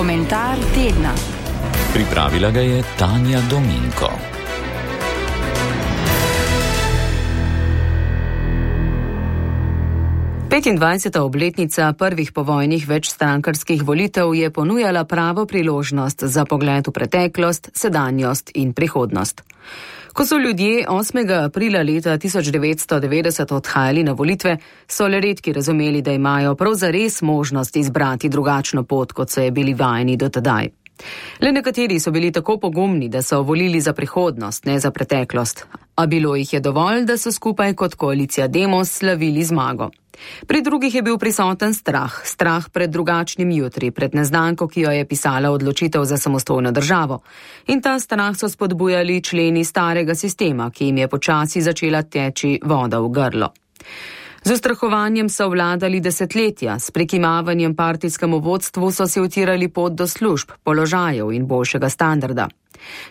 Komentar tedna. Pripravila ga je Tanja Dominko. Petindvajseta obletnica prvih povojnih večstrankarskih volitev je ponujala pravo priložnost za pogled v preteklost, sedanjost in prihodnost. Ko so ljudje 8. aprila leta 1990 odhajali na volitve, so le redki razumeli, da imajo prav zares možnost izbrati drugačno pot, kot so je bili vajeni do tedaj. Le nekateri so bili tako pogumni, da so volili za prihodnost, ne za preteklost. A bilo jih je dovolj, da so skupaj kot koalicija Demos slavili zmago. Pri drugih je bil prisoten strah pred drugačnim jutri, pred neznanko, ki jo je pisala odločitev za samostojno državo. In ta strah so spodbujali členi starega sistema, ki jim je počasi začela teči voda v grlo. Z ustrahovanjem so vladali desetletja, s prekimavanjem partijskemu vodstvu so si utirali pot do služb, položajev in boljšega standarda.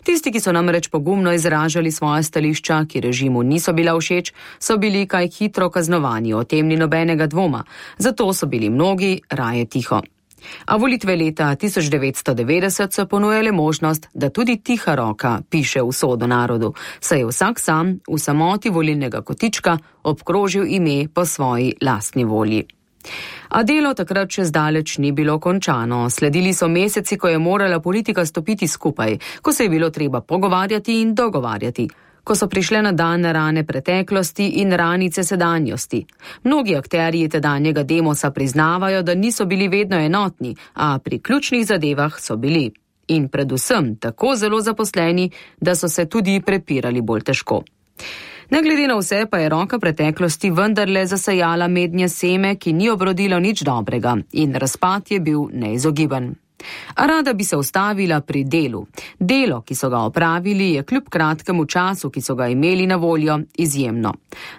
Tisti, ki so namreč pogumno izražali svoje stališča, ki režimu niso bila všeč, so bili kaj hitro kaznovani, o tem ni nobenega dvoma, zato so bili mnogi raje tiho. A volitve leta 1990 so ponujale možnost, da tudi tiha roka piše usodo narodu, saj je vsak sam v samoti volilnega kotička obkrožil ime po svoji lastni volji. A delo takrat še zdaleč ni bilo končano. Sledili so meseci, ko je morala politika stopiti skupaj, ko se je bilo treba pogovarjati in dogovarjati, ko so prišle na dan rane preteklosti in ranice sedanjosti. Mnogi akterji tedanjega Demosa priznavajo, da niso bili vedno enotni, a pri ključnih zadevah so bili. In predvsem tako zelo zaposleni, da so se tudi prepirali bolj težko. Ne glede na vse pa je roka preteklosti vendarle zasajala mednje seme, ki ni obrodilo nič dobrega, in razpad je bil neizogiben. A rada bi se ustavila pri delu. Delo, ki so ga opravili, je kljub kratkemu času, ki so ga imeli na voljo, izjemno.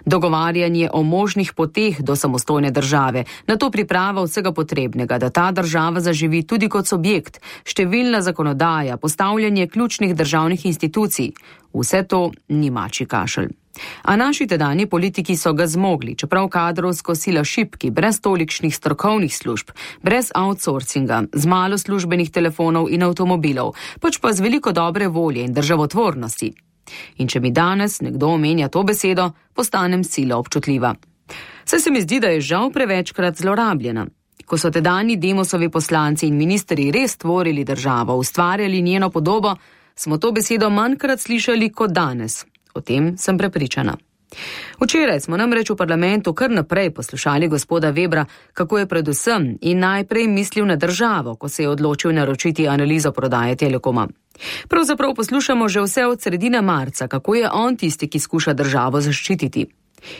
Dogovarjanje o možnih poteh do samostojne države, nato priprava vsega potrebnega, da ta država zaživi tudi kot subjekt, številna zakonodaja, postavljanje ključnih državnih institucij. Vse to ni mačji kašelj. A naši tedanji politiki so ga zmogli, čeprav kadrovsko sila šibki, brez tolikšnih strokovnih služb, brez outsourcinga, z malo službenih telefonov in avtomobilov, pač pa z veliko dobre volje in državotvornosti. In če mi danes nekdo omenja to besedo, postanem sila občutljiva. Saj se mi zdi, da je žal prevečkrat zlorabljena. Ko so tedanji Demosovi poslanci in ministri res tvorili državo, ustvarjali njeno podobo, smo to besedo manjkrat slišali kot danes. O tem sem prepričana. Včeraj smo namreč v parlamentu kar naprej poslušali gospoda Webra, kako je predvsem in najprej mislil na državo, ko se je odločil naročiti analizo prodaje Telekoma. Pravzaprav poslušamo že vse od sredine marca, kako je on tisti, ki skuša državo zaščititi.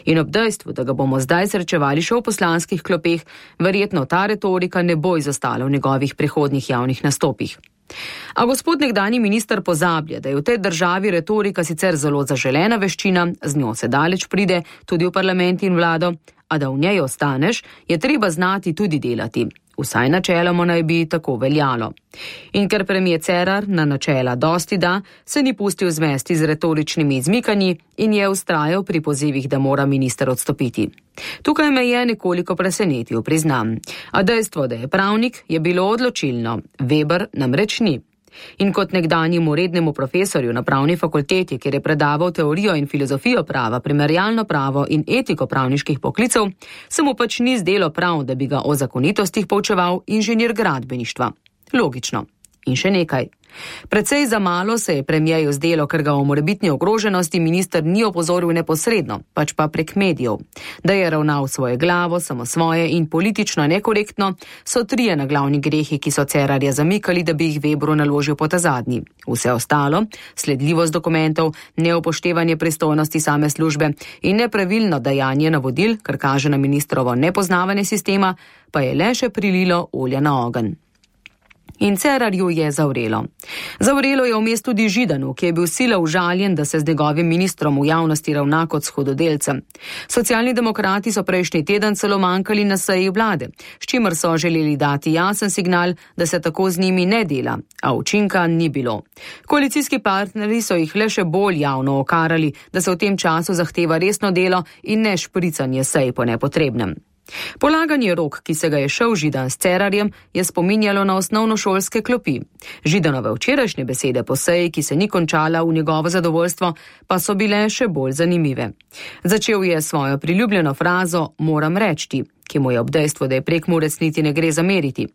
In ob dejstvu, da ga bomo zdaj srečevali še v poslanskih klopeh, verjetno ta retorika ne bo izostala v njegovih prihodnjih javnih nastopih. A gospod nekdanji minister pozablja, da je v tej državi retorika sicer zelo zaželena veščina, z njo se daleč pride tudi v parlament in vlado, a da v njej ostaneš, je treba znati tudi delati. Vsaj načeloma naj bi tako veljalo. In ker premier Cerar na načela dosti da, se ni pustil zmesti z retoričnimi izmikanji in je vztrajal pri pozivih, da mora minister odstopiti. Tukaj me je nekoliko presenetil, priznam. A dejstvo, da je pravnik, je bilo odločilno. Weber namreč ni. In kot nekdanjemu rednemu profesorju na pravni fakulteti, kjer je predaval teorijo in filozofijo prava, primerjalno pravo in etiko pravniških poklicev, se mu pač ni zdelo prav, da bi ga o zakonitostih poučeval inženir gradbeništva. Logično. In še nekaj. Precej za malo se je premierju zdelo, ker ga o morebitni ogroženosti minister ni opozoril neposredno, pač pa prek medijev. Da je ravnal svoje glavo, samo svoje in politično nekorektno, so trije naglavni grehi, ki so Cerarja zamikali, da bi jih Webru naložil po ta zadnji. Vse ostalo, sledljivost dokumentov, neupoštevanje pristojnosti same službe in nepravilno dajanje navodil, kar kaže na ministrovo nepoznavanje sistema, pa je le še prililo olja na ogenj. In Cerarju je zavrelo. Zavrelo je vmes tudi Židanu, ki je bil sila užaljen, da se z njegovim ministrom v javnosti ravna kot s hudodelcem. Socialni demokrati so prejšnji teden celo manjkali na seji vlade, s čimer so želeli dati jasen signal, da se tako z njimi ne dela, a učinka ni bilo. Koalicijski partnerji so jih le še bolj javno okarali, da se v tem času zahteva resno delo in ne špricanje sej po nepotrebnem. Polaganje rok, ki se ga je šel Židan s Cerarjem, je spominjalo na osnovnošolske klopi. Židanove včerajšnje besede po seji, ki se ni končala v njegovo zadovoljstvo, pa so bile še bolj zanimive. Začel je svojo priljubljeno frazo "moram reči", ki mu je ob dejstvu, da je Prekmurec niti ne gre zameriti.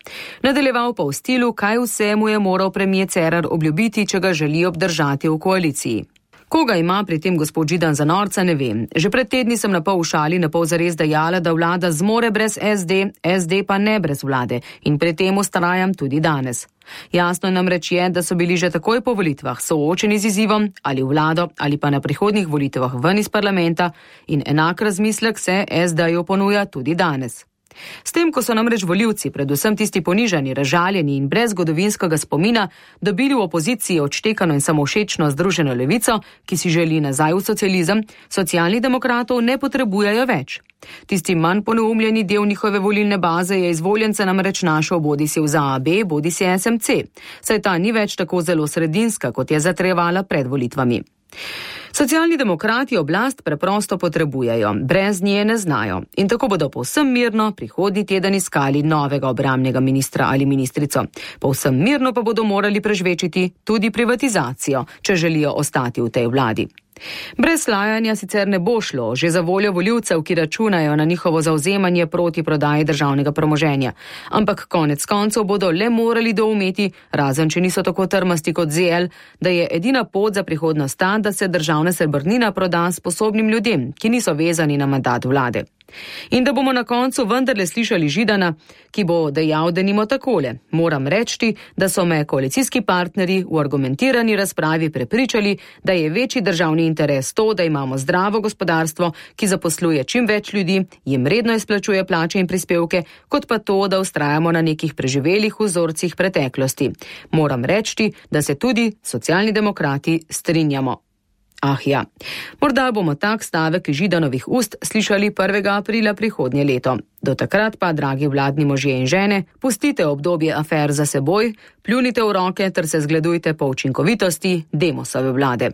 Nadaljeval pa v stilu, kaj vse mu je moral premier Cerar obljubiti, če ga želi obdržati v koaliciji. Koga ima pri tem gospod Židan za norca, ne vem. Že pred tedni sem napol v šali, napol zares dejala, da vlada zmore brez SD, SD pa ne brez vlade in pri tem vztrajam tudi danes. Jasno namreč je, da so bili že takoj po volitvah soočeni z izzivom ali v vlado ali pa na prihodnjih volitvah ven iz parlamenta in enak razmislek se SD-ju ponuja tudi danes. S tem, ko so namreč volivci, predvsem tisti ponižani, razžaljeni in brez zgodovinskega spomina, dobili v opoziciji odštekano in samovšečno združeno levico, ki si želi nazaj v socializem, socialnih demokratov ne potrebujejo več. Tisti manj poneumljeni del njihove volilne baze je izvoljence namreč našel bodisi v ZAB, bodisi SMC, saj ta ni več tako zelo sredinska, kot je zatrjevala pred volitvami. Socialni demokrati oblast preprosto potrebujejo, brez nje ne znajo in tako bodo povsem mirno prihodnji teden iskali novega obrambnega ministra ali ministrico. Povsem mirno pa bodo morali prežvečiti tudi privatizacijo, če želijo ostati v tej vladi. Brez lajanja sicer ne bo šlo, že za voljo volivcev, ki računajo na njihovo zavzemanje proti prodaji državnega premoženja. Ampak konec koncev bodo le morali doumeti, razen če niso tako trmasti kot ZL, da je edina pot za prihodnost ta, da se državna srebrnina proda sposobnim ljudem, ki niso vezani na mandat vlade. In da bomo na koncu vendarle slišali Židana, ki bo dejal denimo takole: moram reči, da so me koalicijski partnerji v argumentirani razpravi prepričali, da je večji državni interes to, da imamo zdravo gospodarstvo, ki zaposluje čim več ljudi, jim redno izplačuje plače in prispevke, kot pa to, da vztrajamo na nekih preživelih vzorcih preteklosti. Moram reči, da se tudi socialni demokrati strinjamo. Ah ja, morda bomo tak stavek Židanovih ust slišali 1. aprila prihodnje leto. Do takrat pa, dragi vladni možje in žene, pustite obdobje afer za seboj, pljunite v roke ter se zgledujte po učinkovitosti Demosove vlade.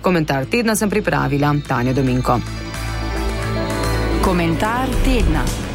Komentar tedna sem pripravila Tanja Dominko. Komentar tedna.